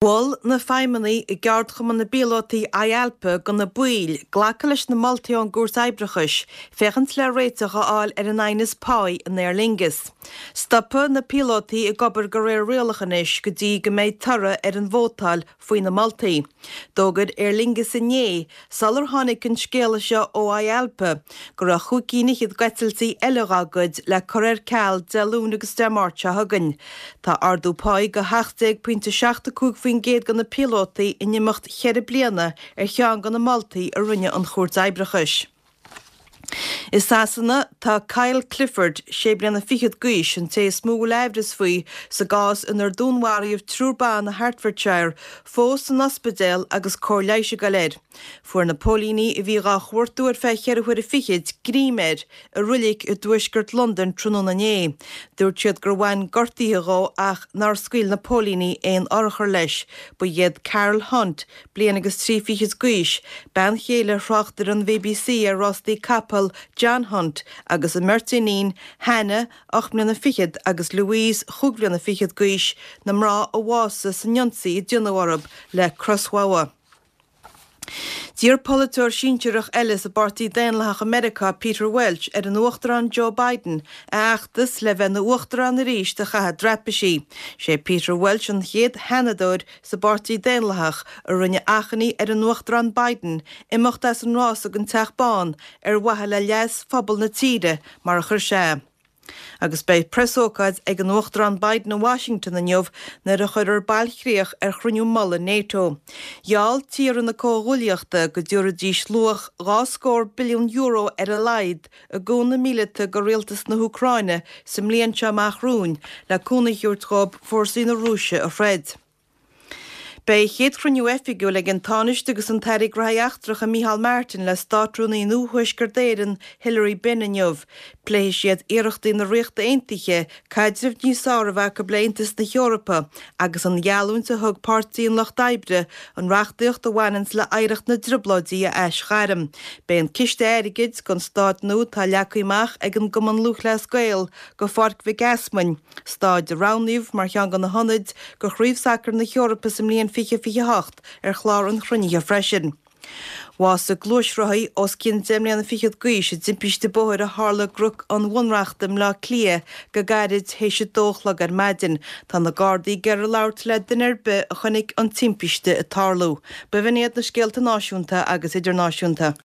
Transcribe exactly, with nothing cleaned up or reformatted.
Mhol na feidhmeannaigh i gceardchumann na bpíolótaí IALPA do na baill glacadh leis na moltaí ón gCúirt Oibreachais féachaint le réiteach a fháil ar an aighneas páí in Aer Lingus. Stopfaidh na píolótaí ag obair de réir rialach anois go dtí go mbeidh toradh ar an vótáil faoi na moltaí. D'fhógair Aer Lingus inné sular tháinig an scéala seo ó IALPA go raibh chúig cinn fhichead d'eitiltí eile dá gcuid le cur ar ceal Dé Luain agus Dé Máirt seo chugainn. Tá ardú páí de hocht déag pointe seacht a cúig faoin gcéad do na píolótaí in imeacht cheithre bliana ar cheann de na moltaí a rinne an Chúirt Oibreachais. I Sasana tá Kyle Clifford, sé bliana fichead d'aois, an té is mó a bhfuil aimhreas faoi sa gcás inar dúnmharaíodh triúr ban i Hertfordshire, fós san ospidéal agus cóir leighis ag dul air. Fuair na póilíní a bhí dhá chuartú ar feadh cheithre huaire fichid greim air i roilig i dtuaisceart Londain tráthnóna inné. Dúirt siad gur bhain gortuithe dhó ach nár scaoil na póilíní aon urchar leis. Ba iad Carol Hunt, bliain agus trí fichid d'aois, bean chéile thráchtaire an BBC ar rástaí capall John Hunt, agus a mbeirt iníon, Hannah, ocht mbliana fichead, agus Louise, chúig bhliana fichead d'aois, na mná a bhásaigh san ionsaí a déanadh orthu le crosbhogha. D'iarr polaiteoir sinsearach eile sa bPáirtí Daonlathach i Meiriceá, Peter Welch, ar an Uachtarán Joe Biden a fheachtas le bheith ina uachtarán arís a chaitheamh i dtraipisí. Sé Peter Welch an chéad sheanadóir sa bPáirtí Daonlathach a rinne achainí ar an Uachtarán Biden imeacht as an rás don Teach Bán ar mhaithe le leas phobal na tíre, mar a chuir sé é. Agus beidh preasócáid ag an Uachtarán Biden i Washington inniu nuair a chuirfear bailchríoch ar chruinniú mullaigh NATO. Gheall tíortha na comhghuaillíochta go dtabharfaidís luach dhá scór billiún euro ar a laghad i gcúnamh míleata do rialtas na hÚcráine sa mbliain seo amach romhainn le cúnamh a thabhairt dhóibh fórsaí na Rúise a throid. Beidh a chéad chruinniú oifigiúil ag an Tánaiste agus an tAire Gnóthaí Eachtracha Micheál Martin le Státrúnaí nua Thuaisceart Éireann Hilary Benn inniu. Pléifidh siad iarrachtaí na Ríochta Aontaithe caidreamh níos fearr a bheith acu le Aontas na hEorpa agus an gheallúint a thug Páirtí an Lucht Oibre an reachtaíocht a bhaineanns le hoidhreacht na dTrioblóidí a aisghairm. Beidh an ciste airgid don staid nua atá leagtha amach ag an gCumann Lúthchleas Gael do Pháirc Mhic Easmainn, staid a roghnaíodh mar cheann de na hionaid do Chraobh Sacair na hEorpa sa mbliain fiche fiche hocht ar chlár an chruinnithe freisin. Bhásaigh gluaisrothaí os cionn deich mbliana fichead d'aois i dtimpiste bóthair a tharla i gCnoc an Bhunreachta i mBleá Cliath go gairid théis a dó a chlog ar maidin. Tá na Gardaí ag iarraidh labhairt le duine ar bith a chonaic an timpiste ag tarlú. B'in iad na scéalta náisiúnta agus idirnáisiúnta.